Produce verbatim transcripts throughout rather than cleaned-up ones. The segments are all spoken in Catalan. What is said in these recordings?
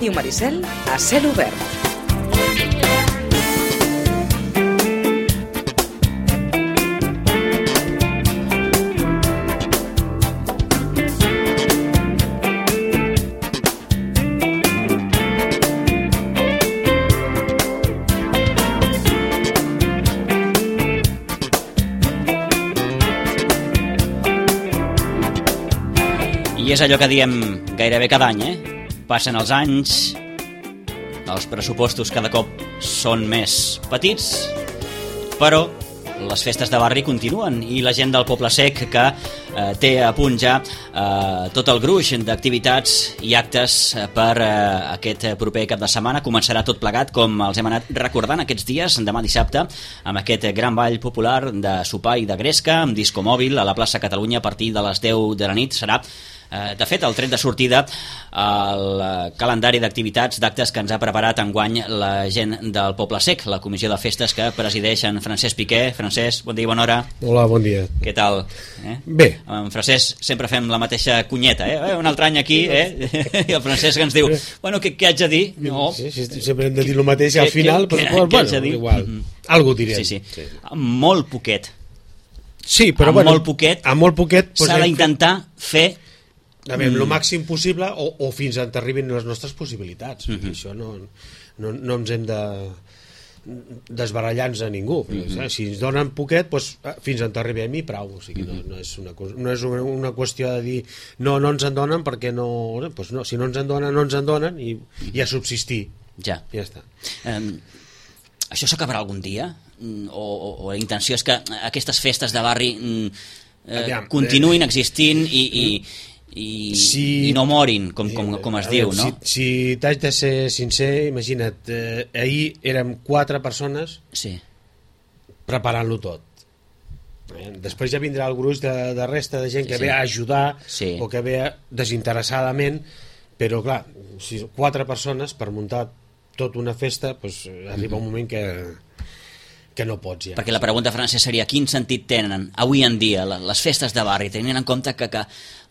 Ràdio Maricel a cel obert. I és allò que diem gairebé cada any, eh? Passen els anys, els pressupostos cada cop són més petits, però les festes de barri continuen i la gent del Poble Sec que eh, té a punt ja eh, tot el gruix d'activitats i actes per eh, aquest proper cap de setmana. Començarà tot plegat, com els hem anat recordant aquests dies, demà dissabte, amb aquest gran ball popular de sopar i de gresca, amb disco mòbil a la plaça Catalunya a partir de les deu de la nit. Serà de fet, el tret de sortida al calendari d'activitats, d'actes que ens ha preparat enguany la gent del Poble Sec, la comissió de festes que presideix en Francesc Piqué. Francesc, bon dia i bona hora. Hola, bon dia. Què tal? Eh? Bé. Amb Francesc sempre fem la mateixa cunyeta, eh? Un altre any aquí, eh? I el Francesc ens diu, bueno, què, què haig de dir? No. Sí, sí, sempre hem de dir el mateix al final, què, però què, bueno, què igual. Mm-hmm. Algo direm. Sí, sí. sí. Molt poquet. Sí, però amb bueno, molt poquet, amb molt poquet s'ha d'intentar fer a veure, el màxim possible o, o fins on t'arribin les nostres possibilitats. Mm-hmm. Això no, no, no ens hem de desbarallar-nos a ningú. Mm-hmm. Si ens donen poquet, doncs, fins on t'arribem i prou. O sigui, mm-hmm. no, no és, una, no és una, una qüestió de dir no, no ens en donen perquè no... Doncs no, si no ens en donen, no ens en donen i, i a subsistir. Ja. Ja està. Um, això s'acabarà algun dia? O, o, o la intenció és que aquestes festes de barri eh, Aviam, continuïn existint i... i I, si, i no morin, com, com, com es diu, no? Si, si t'haig de ser sincer, imagina't, eh, ahir érem quatre persones sí. preparant-lo tot. Eh? Després ja vindrà el gruix de, de resta de gent que sí, ve a ajudar sí. o que ve desinteressadament, però clar, si quatre persones per muntar tota una festa, doncs arriba mm-hmm. un moment que... que no pots ja. Perquè la pregunta, Francesc, seria quin sentit tenen avui en dia les festes de barri, tenint en compte que, que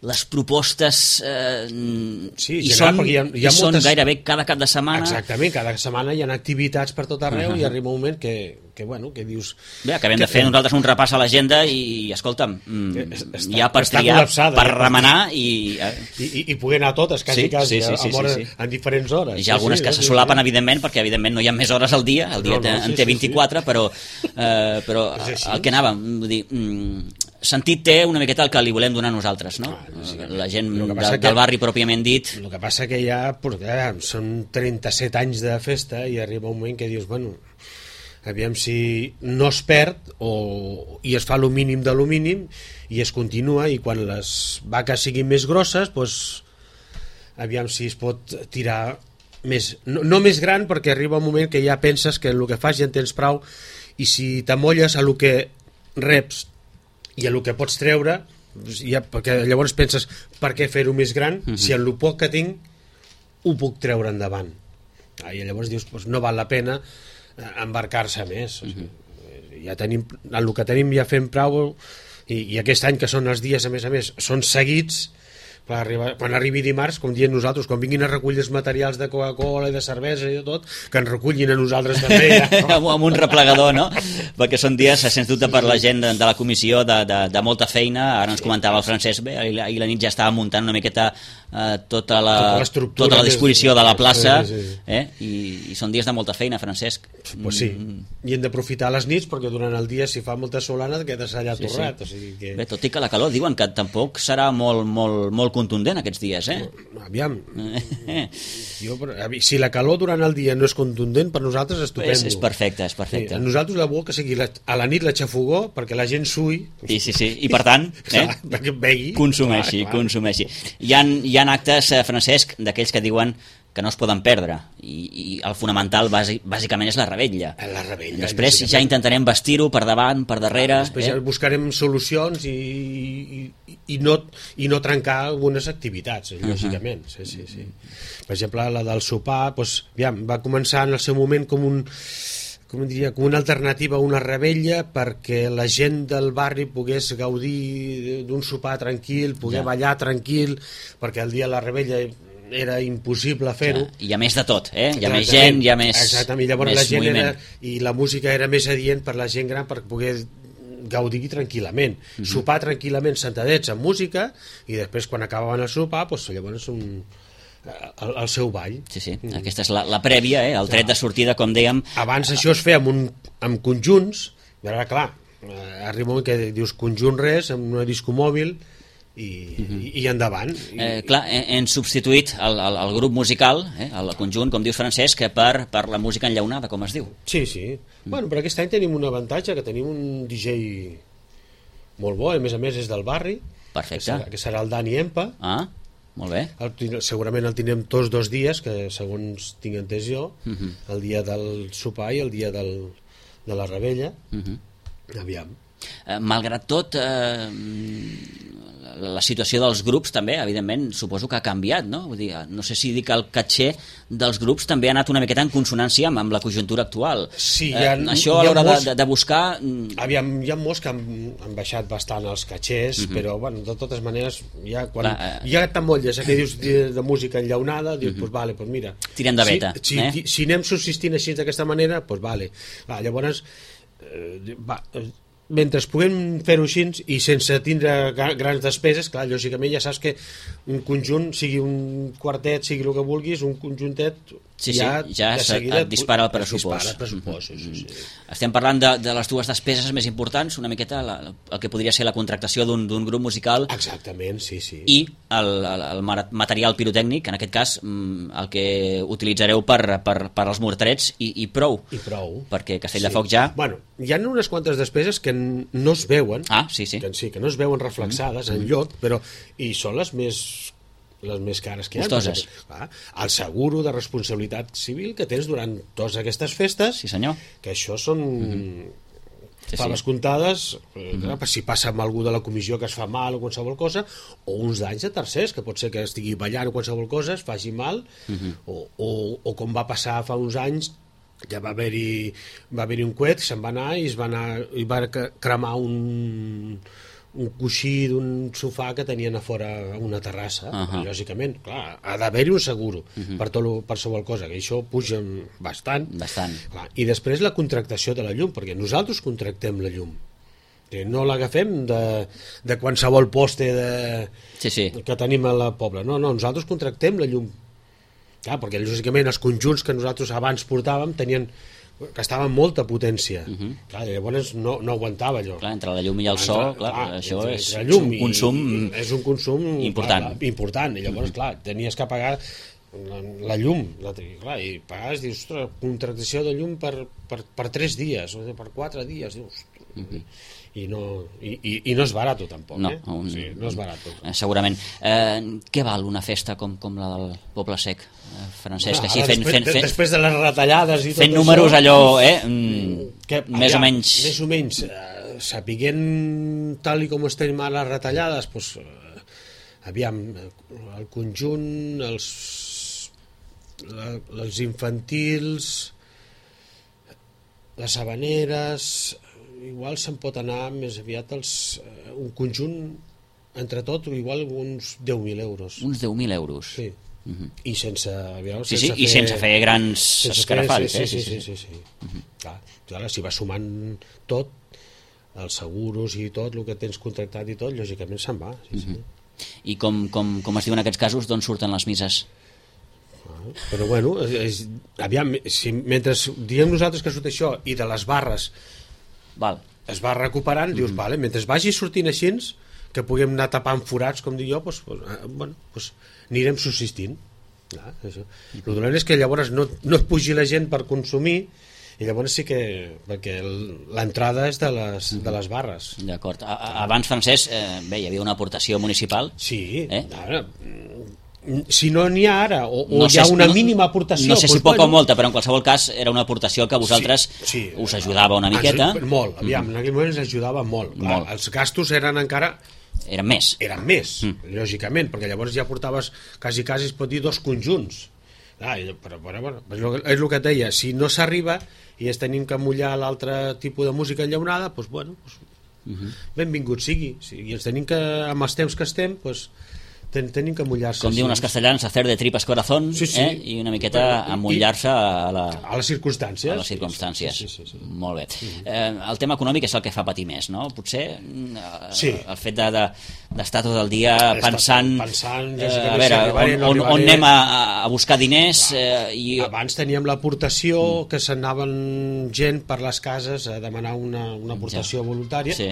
les propostes eh, sí, hi, general, són, hi ha, hi ha hi moltes... són gairebé cada cap de setmana. Exactament, cada setmana hi ha activitats per tot arreu uh-huh. i arriba un moment que, que, bueno, que dius... Bé, acabem que... de fer nosaltres un repàs a l'agenda i, escolta'm, està, hi ha per triar, per ja, remenar i... I, i... I poder anar a totes, quasi, sí, quasi, sí, sí, sí, hora, sí, sí. en diferents hores. Hi ha algunes sí, que sí, se solapen, sí. evidentment, perquè evidentment no hi ha més hores al dia, el dia no, no, en té vint-i-quatre, sí, sí. però, eh, però el que anàvem, vull dir... Mm, sentit té una miqueta el que li volem donar nosaltres, no? Ah, sí, la gent de, que... del barri pròpiament dit. El que passa que ja, ja són trenta-set anys de festa i arriba un moment que dius, bueno, aviam si no es perd o, i es fa el mínim de lo mínim i es continua, i quan les vaques siguin més grosses, doncs aviam si es pot tirar més, no, no més gran, perquè arriba un moment que ja penses que el que fas ja en tens prou, i si t'amolles a el que reps i a el que pots treure, ja, perquè llavors penses per què fer-ho més gran, uh-huh. si en el poc que tinc ho puc treure endavant. Ah, i llavors dius, doncs no val la pena embarcar-se més. Uh-huh. Ja tenim, en el que tenim ja fem prou, i, i aquest any que són els dies, a més a més, són seguits. Quan arribi, quan arribi dimarts, com diem nosaltres, quan vinguin a recollir els materials de Coca-Cola i de cervesa i de tot, que ens recullin a nosaltres també. Ja. Amb un replegador, no? Perquè són dies, sens dubte, per la gent de, de la comissió de, de, de molta feina. Ara ens comentava el Francesc, bé, ahir la, ahir la nit ja estava muntant una miqueta eh, tota, la, tota, tota la disposició de la plaça, sí, sí. Eh? I, i són dies de molta feina, Francesc. Pues sí, i hem d'aprofitar les nits, perquè durant el dia, si fa molta solana, quedes allà sí, torrat. Sí. O sigui que... Bé, tot i que la calor diuen que tampoc serà molt, molt, molt contundent aquests dies, eh? Aviam, jo, si la calor durant el dia no és contundent, per nosaltres és estupendo. És, és perfecte, és perfecte. Sí, a nosaltres la bo que sigui la, a la nit la xafogó, perquè la gent sui. Sí, sí, sí, i per tant, eh? Clar, begui. Consumeixi, clar, clar. consumeixi. Hi ha, hi ha actes, eh, Francesc, d'aquells que diuen que no es poden perdre, i, i el fonamental bàsic, bàsicament és la revetlla. La revetlla. Després ja intentarem vestir-ho per davant, per darrere. Després eh? ja buscarem solucions i, i, i, no, i no trencar algunes activitats, uh-huh. lògicament. Sí, sí, sí. Per exemple, la del sopar, doncs, ja, va començar en el seu moment com un com diria, com una alternativa a una revetlla perquè la gent del barri pogués gaudir d'un sopar tranquil, poder ja. ballar tranquil, perquè el dia de la revetlla era impossible fer-ho. Ja, hi ha més de tot, eh? Hi ha més gent, hi ha més, exactament, llavors més la gent moviment. era, i la música era més adient per la gent gran per poder gaudir tranquil·lament, uh-huh. sopar tranquil·lament sentadets amb música i després quan acabaven el sopar doncs, llavors un, el, el seu ball. Sí, sí, mm. aquesta és la, la prèvia, eh? El tret de sortida, com dèiem. Abans això es feia amb, un, amb conjunts, i ara clar, arriba un moment que dius conjunt res, amb una disco mòbil i, uh-huh. i, i endavant. Eh, clar, hem substituït el, el, el grup musical, eh, el conjunt, com dius Francesc, per, per la música enllaunada, com es diu. Sí, sí. Mm. Bueno, però aquest any tenim un avantatge, que tenim un D J molt bo, a més a més és del barri. Perfecte. Que serà, que serà el Dani Empa. Ah, molt bé. El, segurament el tindrem tots dos dies, que segons tinc entès jo, uh-huh. el dia del sopar i el dia del, de la rebella. Uh-huh. Aviam. Eh, malgrat tot, eh, la situació dels grups també, evidentment, suposo que ha canviat, no? Vull dir, no sé si dir que el caché dels grups també ha anat una miqueta en consonància amb, amb la conjuntura actual. Sí, ha, eh, això a l'hora molts... de, de buscar... Aviam, hi ha molts que han, han baixat bastant els catxers, uh-huh. però, bueno, de totes maneres, ja quan Clar, eh... hi ha t'emmotlles, que dius de, de música enllaunada, dius, uh-huh. pues vale, pues mira... Tirem de veta. Si, si, eh? si anem subsistint així d'aquesta manera, pues vale. Va, llavors, eh, va... mentre puguem fer-ho així i sense tindre grans despeses, clar, lògicament ja saps que un conjunt, sigui un quartet, sigui el que vulguis, un conjuntet sí, ja, sí, ja de seguida et dispara el pressupost. Dispara el pressupost, mm-hmm. sí, sí. Estem parlant de, de les dues despeses més importants, una miqueta la, el que podria ser la contractació d'un grup musical. Exactament, sí, sí. I el, el, el material pirotècnic, en aquest cas el que utilitzareu per, per, per als morterets i, i prou. I prou. Perquè Castell de sí. Foc ja... Bueno, hi ha unes quantes despeses que no es veuen, ah, sí, sí. Que, sí, que no es veuen reflexades mm-hmm. en lloc, però i són les més les més cares que hi ha. Costoses. Clar, el seguro de responsabilitat civil que tens durant totes aquestes festes, sí, senyor. Que això són mm-hmm. sí, faves sí. comptades, mm-hmm. eh, si passa amb algú de la comissió que es fa mal o qualsevol cosa, o uns danys de tercers, que pot ser que estigui ballant o qualsevol cosa, es faci mal, mm-hmm. o, o, o com va passar fa uns anys, ja va haver-hi va haver-hi un coet, se'n va anar i es va anar i va cremar un un coixí d'un sofà que tenien a fora a una terrassa, uh-huh. lògicament, clar, ha d'haver-hi un seguro uh-huh. per tot per qualsevol cosa, que això puja bastant, bastant. Clar, i després la contractació de la llum, perquè nosaltres contractem la llum, no l'agafem de, de qualsevol poste de, sí, sí. que tenim a la pobla, no, no, nosaltres contractem la llum. Clar, perquè lògicament els conjunts que nosaltres abans portàvem tenien gastaven molta potència. Uh-huh. Clar, llavors no, no aguantava allò. Clar, entre la llum i el so, clar, clar, això entre, és entre un consum i, és un consum important. Clar, important. I llavors, uh-huh. clar, tenies que pagar la, la llum, la, clar, i pagaves, dius, ostres, contractació de llum per, per, per tres dies, o per quatre dies, dius, uh-huh. i no, i, i, i no és barat tampoc, no, eh? Un, sí, no és barat. Eh, segurament. Eh, què val una festa com, com la del Poble Sec, eh, Francesc? Bueno, així, fent, després, fent, fent, després de les retallades i tot fent números això, allò, eh? Mm, que, més allà, o menys... Més o menys, eh, sapiguent tal i com estem ara les retallades, doncs, eh, aviam, el conjunt, els, la, els infantils, les habaneres... igual se'n pot anar més aviat els, uh, un conjunt entre tot, igual uns deu mil euros. Uns deu mil euros? Sí. Uh-huh. I sense, aviam, sí, sense sí, fer... i sense fer grans escarafalls. Sí, sí, sí. sí, sí, sí, sí. Uh-huh. Clar, clar, si va sumant tot, els seguros i tot, el que tens contractat i tot, lògicament se'n va. Sí, uh-huh. sí. I com, com, com es diu en aquests casos, d'on surten les mises? Ah, però bueno, és, aviam, si, mentre diem nosaltres que surt això i de les barres Val. es va recuperant, mm-hmm. dius, vale, mentre vagi sortint així, que puguem anar tapant forats, com dic jo, pues, pues, bueno, pues, anirem subsistint. Clar, això. Mm-hmm. El dolent és que llavors no, no et pugi la gent per consumir, i llavors sí que... perquè l'entrada és de les, mm-hmm. de les barres. D'acord. Abans, Francesc, eh, bé, hi havia una aportació municipal. Sí, eh? ara... si no n'hi ha ara, o, o no hi ha sé, una no, mínima aportació, no sé si doncs, poca bueno, o molta, però en qualsevol cas era una aportació que a vosaltres sí, sí, us ajudava una miqueta. Molt, aviam, mm-hmm. en aquell moment ens ajudava molt. Clar, molt. Els gastos eren encara... Eren més. Eren més, mm. lògicament, perquè llavors ja portaves, quasi, quasi es pot dir, dos conjunts. Ah, però, però, bueno, és el que et deia, si no s'arriba i es tenim que mullar l'altre tipus de música enllaunada, doncs, bueno, doncs, mm-hmm. benvingut sigui. Si ens tenim que, amb els temps que estem, doncs, ten, tenim que mullar-se. Com diuen els castellans, hacer de tripas corazón, sí, sí. Eh? I una miqueta bueno, amullar-se a, la, a les circumstàncies. A les circumstàncies. Sí, sí, sí, sí. Molt bé. Mm-hmm. Eh, el tema econòmic és el que fa patir més, no? Potser eh, sí. el fet de, de, d'estar tot el dia pensant, pensant eh, a veure, on, on, on anem a, a buscar diners. Eh, i... Abans teníem l'aportació, mm. que s'anaven gent per les cases a demanar una, una aportació ja. voluntària. Sí.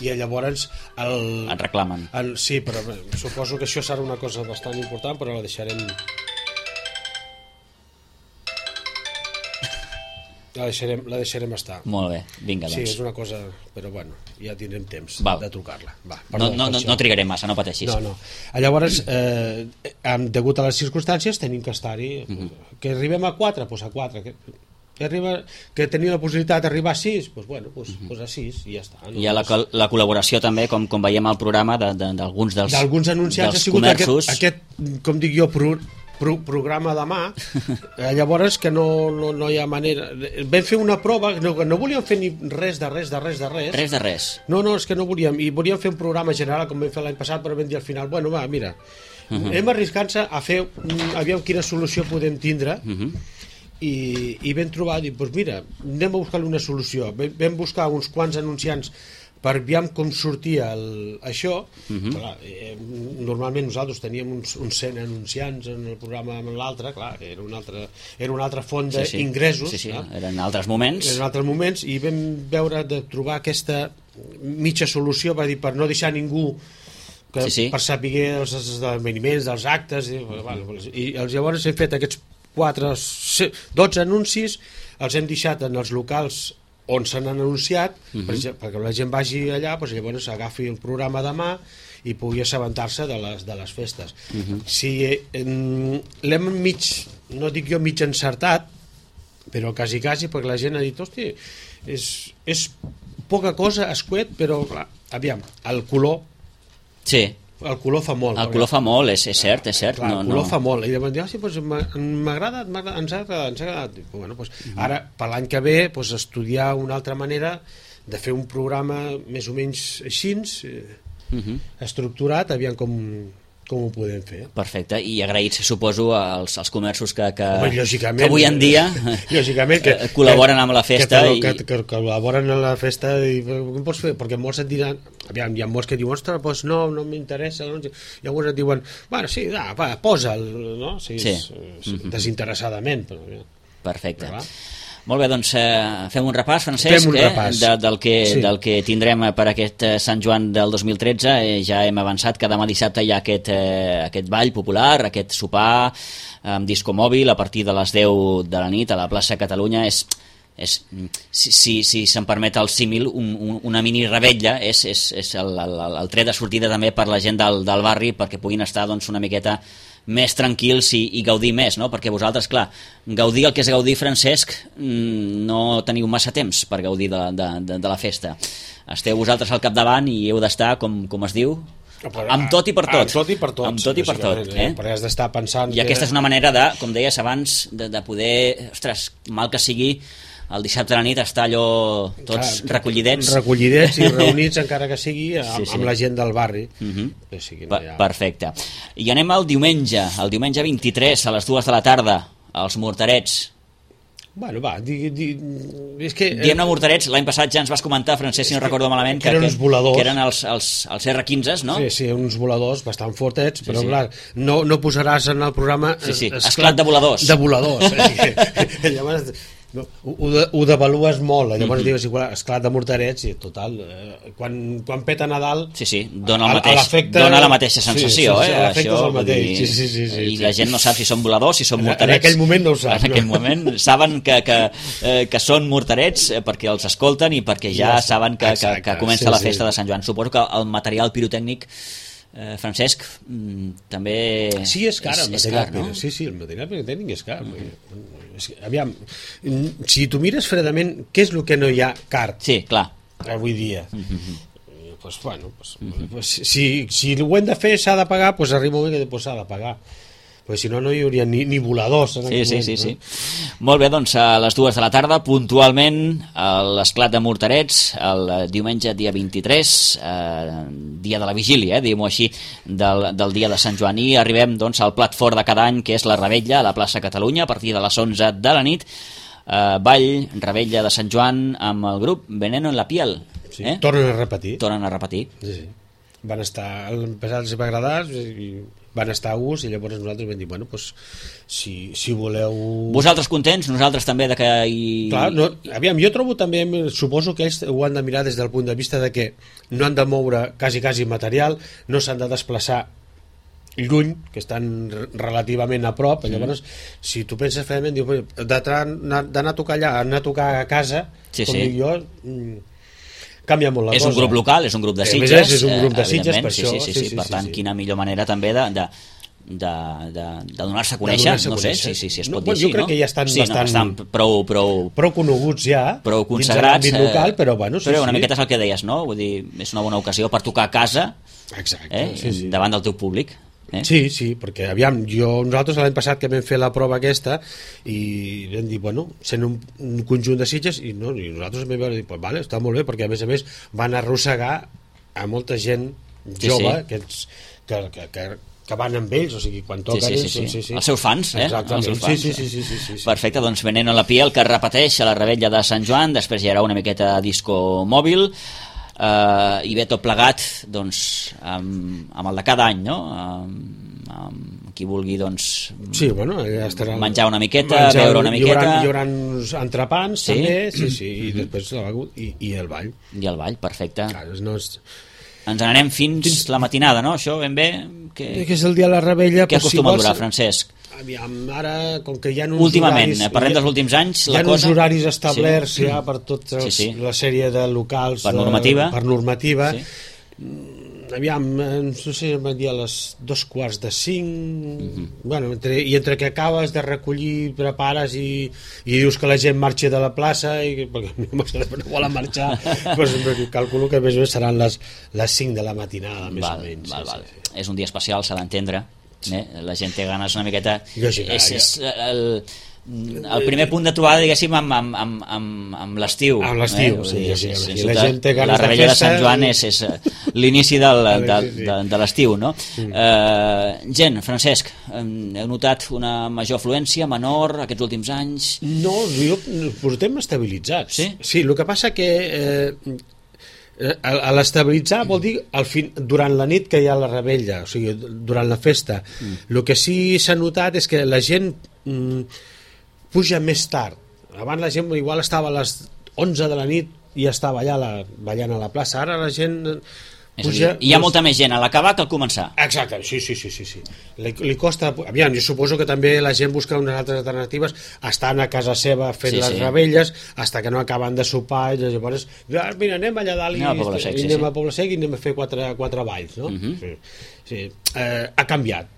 I llavors el, et reclamen el, sí, però suposo que això serà una cosa bastant important, però la deixarem la deixarem, la deixarem estar. Molt bé, vinga doncs. Sí, és una cosa, però bueno, ja tindrem temps Val. de trucar-la. Va, perdó, no, no, no trigarem massa, no pateixis. No, no. Llavors, eh, degut a les circumstàncies, tenim que estar-hi. Mm-hmm. Que arribem a quatre, doncs a quatre. Que... Que, arriba, que tenia la possibilitat d'arribar a sis, doncs bueno, doncs, uh-huh. doncs a sis i ja està. No? Hi ha la, la col·laboració també, com, com veiem al programa, d'alguns de, de, dels, d'alguns anunciants, dels ha sigut comerços. Aquest, aquest, com dic jo, pro, pro, programa de mà, eh, llavors que no, no, no hi ha manera... Vam fer una prova, no, no volíem fer ni res de res, de res, de res. Res de res. No, no, és que no volíem, i volíem fer un programa general, com vam fer l'any passat, però vam dir al final, bueno, va, mira, uh-huh. hem arriscat-se a fer, aviam quina solució podem tindre, uh-huh. I, i vam trobar, dic, doncs mira, anem a buscar una solució. Vam buscar uns quants anunciants per aviam com sortia el, això. Uh-huh. Clar, eh, normalment nosaltres teníem uns, uns cent anunciants en el programa amb l'altre, clar, era una altra, era una altra font d'ingressos. Sí, sí, sí, sí. Eren altres moments. Eren altres moments, i vam veure de trobar aquesta mitja solució, va dir, per no deixar ningú que, sí, sí. per saber els esdeveniments, dels actes, i, uh-huh. bueno, i llavors hem fet aquests quatre, dotze anuncis, els hem deixat en els locals on se n'han anunciat, uh-huh. per exemple, perquè la gent vagi allà, doncs llavors agafi el programa de mà i pugui assabentar-se de les, de les festes. Uh-huh. Si eh, l'hem mig, no dic jo mig encertat, però quasi quasi, perquè la gent ha dit, hosti, és, és poca cosa, escuet, però clar, aviam, el color... Sí. El color fa molt. El color fa molt, és, és cert, és cert. Clar, no, el color no. fa molt. I llavors diu, ah, sí, doncs m'agrada, ens ha agradat, ens ha agradat. Bueno, doncs, uh-huh. Ara, per l'any que ve, doncs, estudiar una altra manera de fer un programa més o menys així, uh-huh. estructurat, aviam com... com ho podem fer. Perfecte, i agraïts, suposo, als, als comerços que, que, Home, que avui en dia lògicament, que, col·laboren amb la festa. Que, i... que, que, que col·laboren amb la festa i com pots fer? Perquè molts et diran, aviam, hi ha molts que diuen, ostres, doncs no, no m'interessa, no? Llavors et diuen, bueno, sí, va, va posa'l, no? Sí, sí. És, mm-hmm. desinteressadament. Però, perfecte. Però, molt bé, doncs eh, fem un repàs, Francesc, fem un eh, repàs. De, del, que, sí. del que tindrem per aquest eh, Sant Joan del dos mil tretze. Eh, ja hem avançat que demà dissabte hi ha aquest, eh, aquest ball popular, aquest sopar amb disco mòbil a partir de les deu de la nit a la plaça Catalunya. És, és, si si, si se'm permet el símil, un, un, una mini rebetlla, és, és, és el, el, el tret de sortida també per la gent del, del barri perquè puguin estar doncs, una miqueta més tranquils i, i gaudir més, no? Perquè vosaltres, clar, gaudir el que és gaudir, Francesc, no teniu massa temps per gaudir de, de, de, de la festa. Esteu vosaltres al capdavant i heu d'estar, com, com es diu, amb tot i per tot. Amb tot i per tot. Amb tot i per tot. Eh? Perquè has d'estar pensant... I aquesta és una manera de, com deies abans, de, de poder, ostres, mal que sigui, el dissabte a la nit està allò tots clar, recollidets recollidets i reunits encara que sigui amb, sí, sí. amb la gent del barri. Uh-huh. Que sigui, no ha... Perfecte. I anem al diumenge el diumenge vint-i-tres a les dues de la tarda als Morterets. Bueno, va, di, di, és que... Diem-ne Morterets, l'any passat ja ens vas comentar, Francesc, si no recordo malament, que, que eren uns voladors. Que eren els, els, els erre quinze, no? Sí, sí, uns voladors bastant fortets, però sí, sí. clar, no, no posaràs en el programa... Sí, sí, esclat, esclat de voladors. De voladors. Eh? Llavors... No, ho, ho devalues molt, llavors mm-hmm. dius igual, esclat de Morterets i total, eh, quan, quan peta Nadal sí, sí, dona, el mateix, dona la mateixa sensació, sí, sí, eh? Això, és el mateix. Dir, sí, sí, sí, sí, i sí. la gent no sap si són voladors, si són Morterets. En aquell moment no ho sap. En aquell no. moment saben que, que, eh, que són Morterets perquè els escolten i perquè ja sí, saben que, que, que comença sí, la festa sí. de Sant Joan. Suposo que el material pirotècnic Eh, Francesc, mm, també sí, és car, és, el és material, car, no? Sí, sí, el material pirotècnic és car. Mm-hmm. Aviam, si tu mires fredament, què és el que no hi ha car? Sí, clar. Avui dia. Mm-hmm. Pues, bueno, pues, mm-hmm. pues, si, si ho hem de fer s'ha de pagar, pues arriba un moment que pues, s'ha de pagar. perquè si no no hi hauria ni, ni voladors en sí, sí, moment, sí, no? sí. Molt bé, doncs a les dues de la tarda puntualment a l'Esclat de Morterets el diumenge dia vint-i-tres eh, dia de la vigília, eh, diguem-ho així del, del dia de Sant Joan, i arribem doncs al plat fort de cada any, que és la Revetlla a la plaça Catalunya a partir de les onze de la nit. eh, Ball, Revetlla de Sant Joan amb el grup Veneno en la Piel, sí, eh? tornen a repetir, tornen a repetir. sí, sí. Van estar, l'any passat els va agradar i van estar a gust, i llavors nosaltres vam dir, bueno, pues, si, si voleu... Vosaltres contents, nosaltres també de que hi... Clar, no, aviam, jo trobo també, suposo que ells ho han de mirar des del punt de vista de que no han de moure quasi, quasi material, no s'han de desplaçar lluny, que estan relativament a prop, mm. llavors, si tu penses ferament, dius, d'anar a tocar allà, anar a tocar a casa, sí, com sí. dic jo... canvia molt la és cosa. un grup local, és un grup de Eh, Sitges, més és un grup de Sitges, evidentment, per sí, això, sí, sí, sí, sí, sí, per sí, tant, sí. quina millor manera també de, de, de, de, de donar-se a conèixer, donar-se a no sé conèixer. si, si, si es No, pot bueno, dir jo així, crec no? que ja estan sí, bastant- no, estan prou, prou, prou coneguts ja, prou dins de consagrats, l'àmbit local, però bueno, sí, però una sí. miqueta és el que deies, no? Vull dir, és una bona ocasió per tocar a casa, Exacte, eh? sí, sí. davant del teu públic. Eh? Sí, sí, perquè aviam, jo, nosaltres l'any passat que vam fer la prova aquesta i vam dir, bueno, sent un, un conjunt de Sitges, i, no, i nosaltres vam dir, pues, vale, està molt bé, perquè a més a més van arrossegar a molta gent Sí, jove sí. Que, ets, que, que, que, que van amb ells, o sigui, quan Sí, toquen sí, sí, ells, sí. sí, sí. Els seus fans, eh? Exactament, Els seus fans. sí, sí, sí, sí, sí, sí. Perfecte, doncs Veneno en la Piel, que es repeteix a la Revetlla de Sant Joan, després hi haurà una miqueta de disco mòbil, eh, i bé, tot plegat doncs, amb, amb el de cada any, no? Amb, amb qui vulgui doncs, Sí, bueno, ja estarà... menjar una miqueta, beure una miqueta. Hi haurà, hi haurà uns entrepans, Sí? també, sí, sí, i després la begut, i, i el ball. I el ball, perfecte. Clar, no és... Ens n'anem fins, fins la matinada, no? Això ben bé... Que, que és el dia de la Revetlla... què doncs, acostuma si a durar, vols- Francesc? Aviam, ara, com que hi ha uns Últimament, horaris... eh, parlem dels últims anys, hi la ha cosa... uns horaris establerts Sí. ja per tota Sí, sí. la sèrie de locals... Per de- normativa. Per normativa. Sí. Aviam, eh, no sé si em van dir a les dos quarts de cinc... Mhm. Bueno, entre, i entre que acabes de recollir, prepares i, i dius que la gent marxi de la plaça, i, perquè no volen marxar, doncs calculo que més o menys seran les, les cinc de la matinada, més Val, o menys. val, sí, val. sí, sí. És un dia especial, s'ha d'entendre. Eh? La gent té ganes una miqueta... Lògica, és, ja. és el, el primer punt de trobada, diguéssim, amb, amb, amb, amb, amb l'estiu. Amb l'estiu, Vull sí, dir, és- sí, és- sí, és- la gent té ganes la de Revetlla de festa Sant Joan i- és, és eh, l'inici del, de, Sí, sí. de, de l'estiu, no? Eh, gent, Francesc, hem- heu notat una major afluència, menor, aquests últims anys? No, jo, portem estabilitzats. Sí? Sí, el que passa que eh, a, a l'estabilitzar vol dir al fin, durant la nit que hi ha la Revetlla, o sigui, durant la festa. Mm. El que sí s'ha notat és que la gent mm, puja més tard. Abans la gent igual estava a les onze de la nit i estava allà la, ballant a la plaça. Ara la gent És a dir, puja... hi ha molta més gent a l'acabar que al començar. Exacte, sí, sí, sí, sí, sí. Li, li costa... Aviam, jo suposo que també la gent busca unes altres alternatives, estan a casa seva fent Sí, les sí. Rebelles, hasta que no acaben de sopar, i llavors, ah, mira, anem allà dalt i, Anem a Poble Sec, i sí, anem sí. a Poble Sec i anem a fer quatre, quatre balls, no? Mhm. Sí, sí. Eh, ha canviat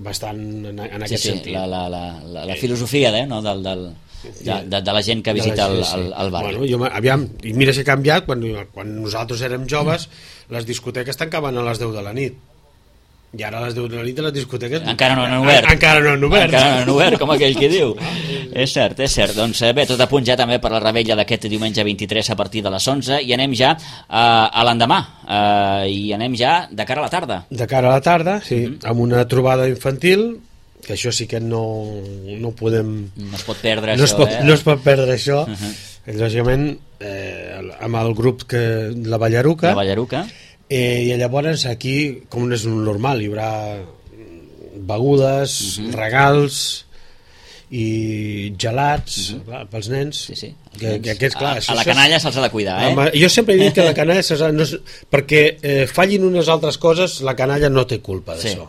bastant en, en Sí, aquest sí, sentit. la, la, la, la, la filosofia de, no, del, del, de, de, de la gent que De la visita el, gent, sí. el, el barri. Bueno, jo, aviam, i mira si ha canviat, quan, quan nosaltres érem joves, les discoteques tancaven a les deu de la nit. I ara a les deu de la nit les discoteques... Encara no han obert. En, encara no han obert. Encara no han obert, com aquell que diu. És cert, és cert. Doncs eh, bé, tot a punt ja també per la Revetlla d'aquest diumenge vint-i-tres a partir de les onze, i anem ja eh, a l'endemà, eh, i anem ja de cara a la tarda. De cara a la tarda, sí, Mhm. amb una trobada infantil, que això sí que no, no podem... No es pot perdre no, això, es pot, eh? no es pot perdre això. Mhm. Lògicament, eh, amb el grup que la Ballaruca, La Ballaruca. eh, i llavors aquí, com és un normal, hi haurà begudes, Mhm. regals i gelats, clar, pels nens. Sí, sí. Que, que aquests, clar, a, això- a la això és- canalla se'ls ha de cuidar, eh? Home, jo sempre he dit que la canalla se'ls ha- no és, perquè eh, fallin unes altres coses, la canalla no té culpa Sí. d'això.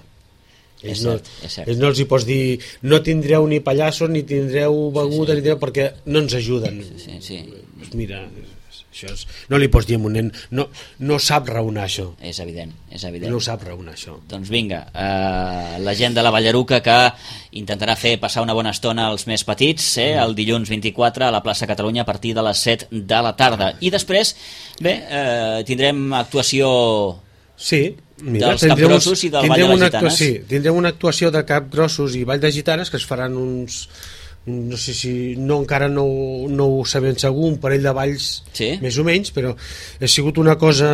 És Ells no, cert, és cert. ells no els hi pots dir no tindreu ni pallassos ni tindreu beguda, sí, sí. Ni tindreu, perquè no ens ajuden. Sí, sí. Pues mira, això és, no li pots dir a un nen, no, no sap raonar això, És evident, és evident. no sap raonar això. Doncs vinga, eh, la gent de la Ballaruca que intentarà fer passar una bona estona als més petits, eh, el dilluns vint-i-quatre a la plaça Catalunya a partir de les set de la tarda. I després, bé, eh, tindrem actuació Sí, mira, dels capgrossos i del Ball de les Gitanes. Sí, tindrem una actuació de capgrossos i Ball de Gitanes que es faran uns, no sé si, no encara no, no ho sabem segur, un parell de balls sí? més o menys, però ha sigut una cosa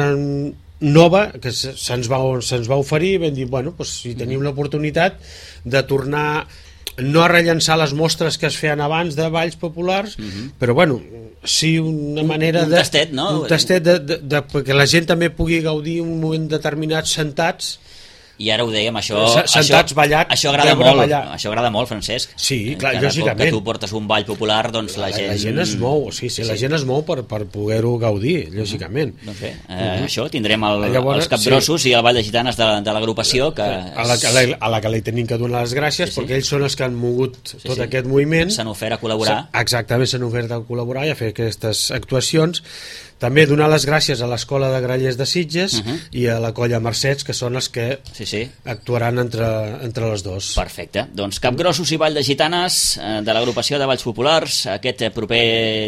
nova que se'ns va, se'ns va oferir i vam dir, bueno, doncs, si tenim l'oportunitat de tornar no a rellençar les mostres que es feien abans de balls populars, uh-huh. però bueno, sí una manera un, un de... tastet, no? Un tastet de, de, de, perquè la gent també pugui gaudir un moment determinat sentats. I ara ho dèiem, això, sentats, això, ballat, això agrada molt, ballar. Això agrada molt, Francesc. Sí, clar, Cada lògicament. cop que tu portes un ball popular, doncs la, la gent... La gent es mou, sí, sí, sí. La gent es mou per, per poder-ho gaudir, lògicament. Uh-huh. Doncs bé, eh, uh-huh. això, tindrem el, Llavors, els capgrossos sí. i el Ball de Gitanes de, de l'agrupació que... A la, a, la, a la que li tenim que donar les gràcies, sí, sí. perquè ells són els que han mogut sí, tot sí. aquest moviment. S'han ofert a col·laborar. Exactament, s'han ofert a col·laborar i a fer aquestes actuacions. També donar les gràcies a l'Escola de Grallers de Sitges uh-huh. i a la Colla Mercets, que són els que sí, sí. actuaran entre, entre les dos. Perfecte. Doncs Capgrossos i Ball de Gitanes eh, de l'agrupació de Balls Populars aquest proper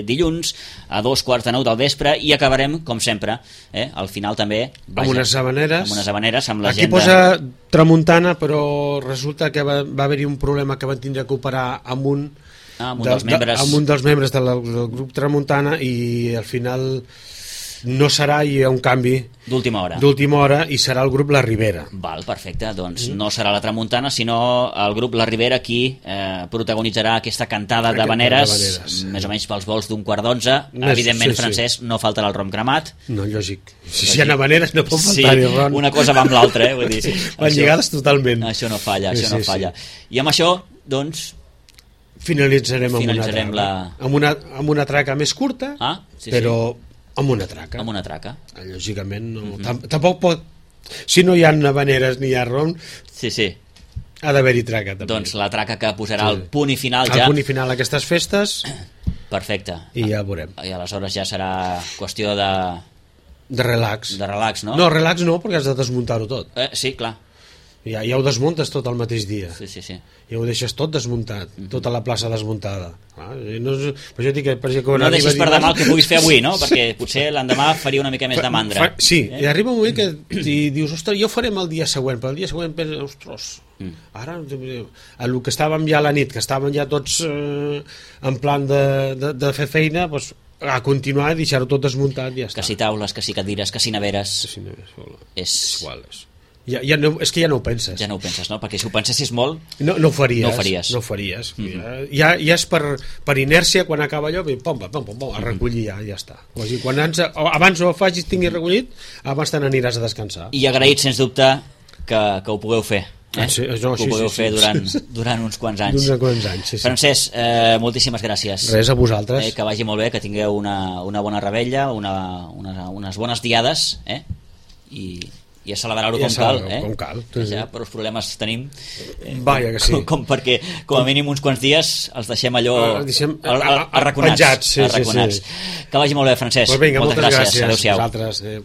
dilluns a dos quarts de nou del vespre i acabarem, com sempre, eh, al final també... Vaja, amb unes habaneres. Amb unes habaneres, amb la Aquí gent posa de... tramuntana, però resulta que va, va haver-hi un problema que van tindre que operar amb un... Ah, amb un dels membres... De, amb un dels membres de la, del grup Tramuntana i al final no serà, hi ha un canvi d'última hora d'última hora i serà el grup La Ribera. Val, perfecte, doncs mm. no serà la Tramuntana sinó el grup La Ribera qui eh, protagonitzarà aquesta cantada de habaneres, sí. més o menys pels vols d'un quart d'onze. Evidentment, sí, Francesc, sí. no faltarà el rom cremat. No, lògic. Si hi ha habaneres no pot faltar-hi sí, ron. Una cosa va amb l'altra, eh? Vull dir, van lligades totalment. Això no falla, això sí, no falla. Sí. I amb això, doncs... Finalitzarem, finalitzarem amb, una la... amb, una, amb una traca més curta, ah, sí, però sí. amb una traca. Amb una traca. Lògicament, no, mm -hmm. tampoc pot... Si no hi ha habaneres ni hi ha rom, sí, sí. ha d'haver-hi traca, també. Doncs la traca que posarà sí. el punt i final el ja... El punt i final a aquestes festes... Perfecte. I ja veurem. I aleshores ja serà qüestió de... De relax. De relax, no? No, relax no, perquè has de desmuntar-ho tot. Eh, sí, clar. Ja, ja ho desmuntes tot el mateix dia. Sí, sí, sí. Ja ho deixes tot desmuntat, mm -hmm. tota la plaça desmuntada. Ah, no, per això dic que, per exemple, no deixis per demà el que puguis fer avui, no? Perquè potser l'endemà faria una mica més de mandra. Fa, sí, eh? I arriba un moment que i dius, ostres, jo ho farem el dia següent, però el dia següent penses, ostres, mm. ara el que estàvem ja a la nit, que estàvem ja tots eh, en plan de, de, de fer feina, doncs a continuar i deixar-ho tot desmuntat i ja està. Que si taules, que si cadires, que si neveres... Que si neveres, és... és igual, és... Ja, ja no, és que ja no ho penses. Ja no ho penses, no? Perquè si ho pensessis molt... No, no ho faries. No ho faries. No ho faries. Mm -hmm. ja, ja és per, per inèrcia, quan acaba allò, pom, pom, pom, pom, a recollir ja, ja està. O sigui, quan ans, abans ho facis, tinguis recollit, abans te n'aniràs a descansar. I agraït, sens dubte, que, que ho pugueu fer. Eh? Ah, sí, no, que ho sí, pugueu sí, fer sí, durant, sí. durant uns quants anys. Durant quants anys, sí, sí. Francesc, eh, moltíssimes gràcies. Res, a vosaltres. Eh, que vagi molt bé, que tingueu una, una bona rebella, una, una, unes bones diades, eh? I... i a celebrar-ho com cal, eh? Com cal. Sí, sí. Ja, però els problemes tenim eh, Vaja que sí. com, com perquè com a mínim uns quants dies els deixem allò deixem, arraconats, penjats, sí, arraconats. Sí, sí. Que vagi molt bé, Francesc. Pues vinga, moltes, moltes gràcies, gràcies. Adéu-siau. Vosaltres, eh.